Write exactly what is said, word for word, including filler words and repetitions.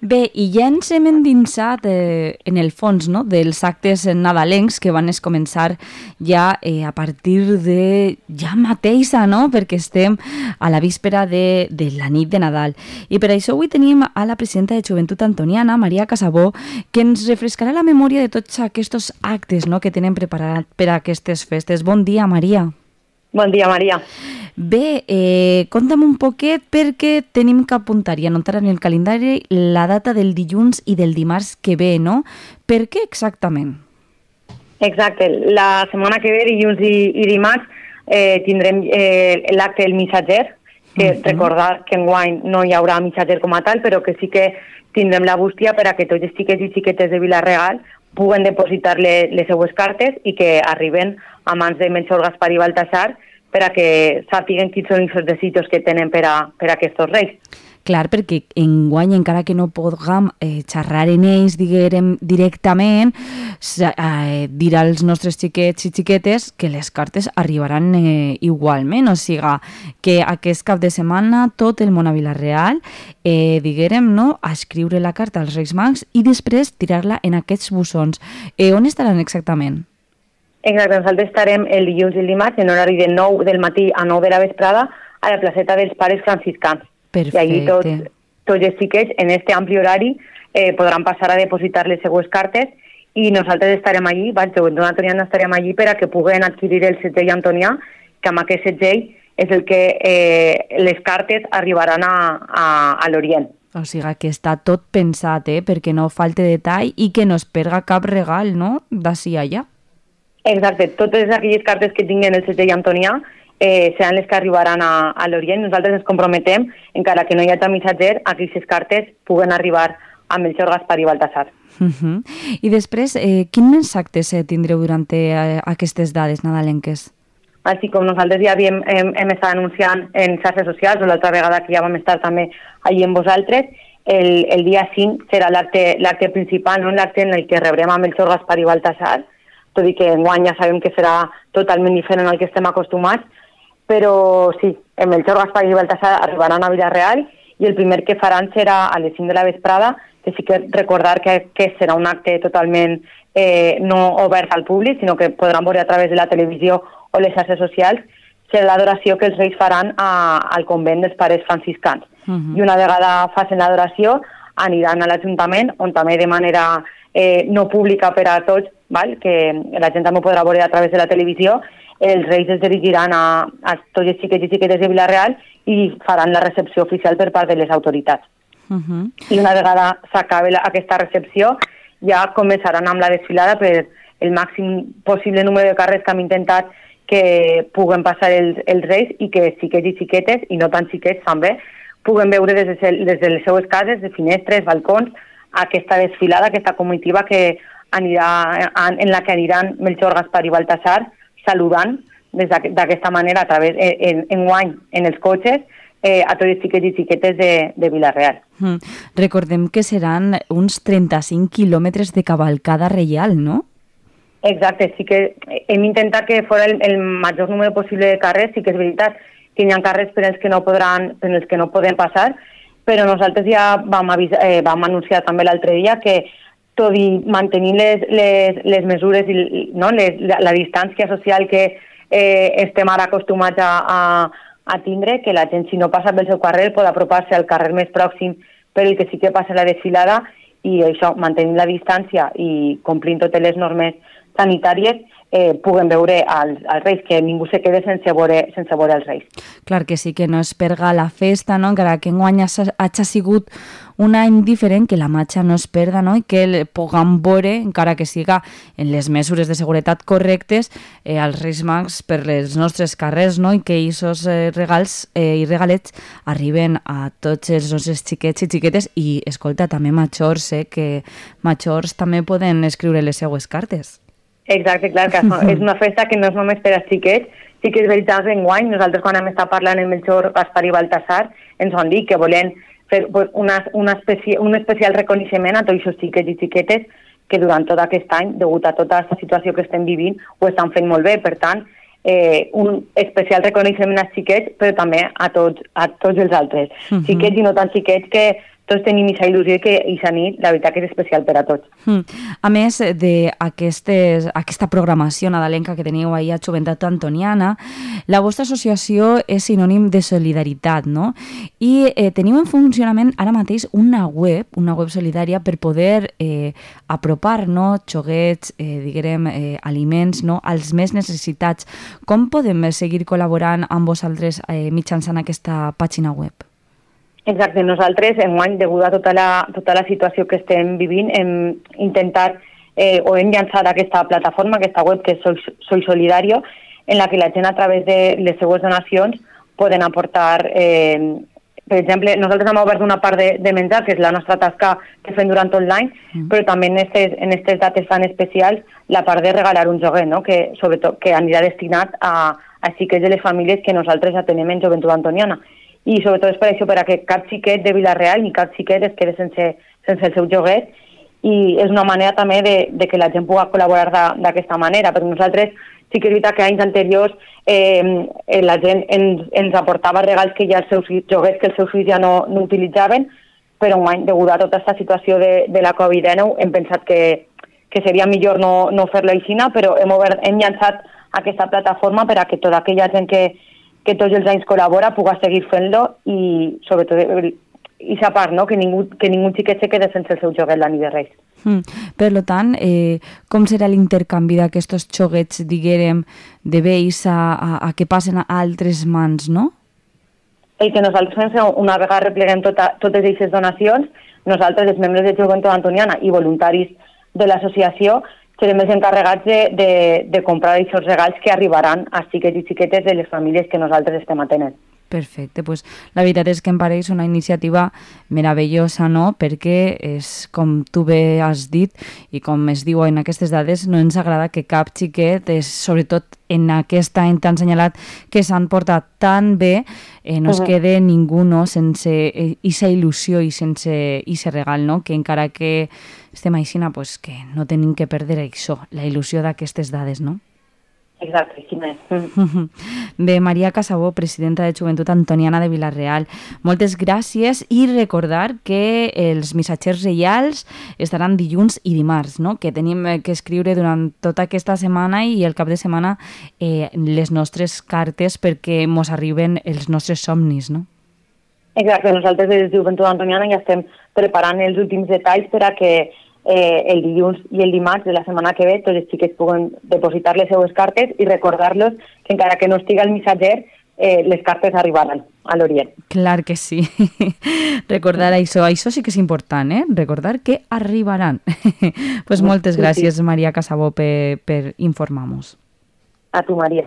Bé, i ja ens hem endinsat eh, en el fons, no?, dels actes nadalencs que van es començar ja eh, a partir de ja mateixa, no?, perquè estem a la víspera de, de la nit de Nadal. I per això avui tenim a la presidenta de Joventut Antoniana, Maria Casabó, que ens refrescarà la memòria de tots aquests actes, no?, que tenen preparat per a aquestes festes. Bon dia, Maria. Bon dia, Maria. Bé, eh, conta'm un poquet perquè tenim que apuntar i anotar en el calendari la data del dilluns i del dimarts que ve, no? Per què exactament? Exacte. La setmana que ve, dilluns i, i dimarts, eh, tindrem eh, l'acte del missatger, que uh-huh. recordar que enguany no hi haurà missatger com a tal, però que sí que tindrem la bústia per a que tots els xiquets i xiquetes de Vila-real puguen depositar les, les seues cartes i que arriben a mans de Melchor, Gaspar i Baltasar per a que sàpiguen quins són els desitjos que tenen per a, per a aquests reis. Clar, perquè enguany, encara que no puguem eh, xerrar en ells, diguem, directament, eh, dirà als nostres xiquets i xiquetes que les cartes arribaran eh, igualment, o sigui, que aquest cap de setmana tot el món a Vila-real, eh, diguem, no?, a escriure la carta als Reis Mags i després tirar-la en aquests bussons. Eh, on estaran exactament? Exacte, nosaltres estarem el dilluns i el dimarts en horari de nou del matí a nou de la vesprada a la placeta dels Pares Franciscans. Perfecte. I allí tots, tots els xiquets en este ampli horari eh, podran passar a depositar les seues cartes i nosaltres estarem allí, Joventut Antoniana estarem allí per a que puguen adquirir el setgell antonià, que amb aquest setgell és el que eh, les cartes arribaran a, a, a l'Orient. O sigui que està tot pensat, eh, perquè no falte detall i que no es perga cap regal, no?, d'ací allà. Exacte, totes aquelles cartes que tinguen el setgell antonià eh, seran les que arribaran a, a l'Orient. Nosaltres ens comprometem, encara que no hi hagi missatger, a que aquestes cartes puguen arribar a Melchor, Gaspar i Baltasar. Uh-huh. I després, eh, quin més actes eh, tindreu durant eh, aquestes dades nadalenques? Així com nosaltres ja havíem, hem, hem estat anunciant en xarxes socials, o l'altra vegada que ja vam estar també allí amb vosaltres, el, el dia cinc serà l'acte l'acte principal, no? L'acte en el que rebrem a Melchor, Gaspar i Baltasar, tot i que enguany ja sabem que serà totalment diferent al que estem acostumats, però sí, el Melchor, Gaspar i Baltasar arribaran a Vila-real i el primer que faran serà a les cinc de la vesprada, que sí que recordar que, que serà un acte totalment eh, no obert al públic, sinó que podran veure a través de la televisió o les xarxes socials, serà l'adoració que els reis faran a, al convent dels Pares Franciscans. Uh-huh. I una vegada facin l'adoració, aniran a l'Ajuntament, on també de manera eh, no pública per a tots, val? Que la gent també podrà veure a través de la televisió, els reis es dirigiran a, a tots els xiquets i xiquetes de Vila-real i faran la recepció oficial per part de les autoritats. Uh-huh. I una vegada s'acabi aquesta recepció, ja començaran amb la desfilada per el màxim possible número de carrers que hem intentat que puguen passar els, els reis i que xiquets i xiquetes, i no tan xiquets també, puguen veure des de, des de les seues cases, de finestres, balcons, aquesta desfilada, aquesta comitiva que anirà, en la que aniran Melchor, Gaspar i Baltasar saludant des d'aquesta manera a través, en, en guany, en els cotxes, eh, a tots els xiquets i xiquetes de, de Vila-real. Mm. Recordem que seran uns trenta-cinc quilòmetres de cavalcada reial, no? Exacte, sí que hem intentat que fos el, el major número possible de carrers, sí que és veritat que hi ha carrers per als que no podran, per als que no poden passar, però nosaltres ja vam, avisar, eh, vam anunciar també l'altre dia que tot i mantenir les, les, les mesures i no, les, la, la distància social que eh, estem ara acostumats a, a, a tindre, que la gent si no passa pel seu carrer pot apropar-se al carrer més pròxim per el que sí que passa la desfilada i això, mantenint la distància i complint totes les normes sanitàries, eh, puguen veure als, als reis, que ningú se quede sense veure, sense veure els reis. Clar que sí, que no es perga la festa, no? Encara que enguany hagi sigut un any diferent, que la marxa no es perda, no? I que el puguem veure, encara que siga en les mesures de seguretat correctes, eh, als Reis Mags per les nostres carrers, no? I que aquests eh, regals eh, i regalets arriben a tots els nostres xiquets i xiquetes i, escolta, també majors, eh, que majors també poden escriure les seues cartes. Exacte, clar, que és una festa que no és només per als xiquets, sí que és veritat enguany, nosaltres quan hem estat parlant amb Melchor, Gaspar i Baltasar, ens han dit que volen fer una, una especi un especial reconeixement a tots els xiquets i xiquetes que durant tot aquest any, degut a tota aquesta situació que estem vivint, ho estan fent molt bé. Per tant, eh, un especial reconeixement als xiquets, però també a tots, a tots els altres. Uh-huh. Xiquets i no tan xiquets que tots tenim aquesta il·lusió que aquesta nit, la veritat que és especial per a tots. Mm. A més d'aquesta programació nadalenca que teniu ahir a Joventut Antoniana, la vostra associació és sinònim de solidaritat, no? I eh, teniu en funcionament ara mateix una web, una web solidària per poder eh, apropar, no?, xoguets, eh, diguem, eh, aliments, no?, als més necessitats. Com podem seguir col·laborant amb vosaltres eh, mitjançant aquesta pàgina web? Exacte, nosaltres, enguany, degut a tota la, tota la situació que estem vivint, hem intentat eh, o hem llançat aquesta plataforma, aquesta web que és Soy, Soy Solidario, en la que la gent a través de les seues donacions poden aportar, eh, per exemple, nosaltres hem obert una part de, de menjar, que és la nostra tasca que fem durant tot l'any, mm. però també en aquestes en estes dates tan especials la part de regalar un joguet, no?, que sobretot que anirà destinat a, a xiquets de les famílies que nosaltres atenem en Joventut Antoniana. I sobretot és per això, per a que cap xiquet de Vila-real ni cap xiquet es quede sense, sense el seu joguet, i és una manera també de, de que la gent pugui col·laborar d'aquesta manera, perquè nosaltres sí que és veritat que anys anteriors eh, la gent ens, ens aportava regals que ja els seus joguets que els seus fills ja no, no utilitzaven, però un any, degut a tota aquesta situació de, de la covid dinou, hem pensat que, que seria millor no, no fer-lo així, però hem, obert, hem llançat aquesta plataforma per a que tota aquella gent que que tots els anys col·labora, puga seguir fent-lo i, sobretot, i sa part, no?, que ningú, que ningú xiquet se quede sense el seu joguet la nit de Reis. Mm. Per tant, eh, com serà l'intercanvi d'aquests joguets, diguem, de vells a, a, a que passen a altres mans, no? El que nosaltres fem, una vegada repleguem tota, totes aquestes donacions, nosaltres, els membres de Joventut Antoniana i voluntaris de l'associació, serem els encarregats de, de, de comprar aquests regals que arribaran a xiquets i xiquetes de les famílies que nosaltres estem atenent. Perfecte, pues la veritat és que em pareix una iniciativa meravellosa, no?, perquè és, com tu bé has dit i com es diu en aquestes dades, no ens agrada que cap xiquet, és, sobretot en aquest any tan senyalat que s'han portat tan bé, eh, no es uh-huh. quede ningú, no?, sense aquesta il·lusió i sense aquest regal, no?, que encara que estem així, pues, que no tenim que perdre això, la il·lusió d'aquestes dades, no? Exacte, sí, més. Bé, Maria Casabó, presidenta de Joventut Antoniana de Vila-real, moltes gràcies, i recordar que els missatgers reials estaran dilluns i dimarts, no?, que tenim que escriure durant tota aquesta setmana i el cap de setmana eh, les nostres cartes perquè mos arriben els nostres somnis, no? Exacte, nosaltres des de Joventut Antoniana ja estem preparant els últims detalls per a que Eh, el dilluns i el dimarts de la setmana que ve tots els xiquets puguen depositar les seues cartes i recordar-los que encara que no estigui el missatger, eh, les cartes arribaran a l'Orient. Clar que sí. Recordar això, això sí que és important, eh? Recordar que arribaran. Pues moltes gràcies, Maria Casabó, per, per informar-nos. A tu, Maria.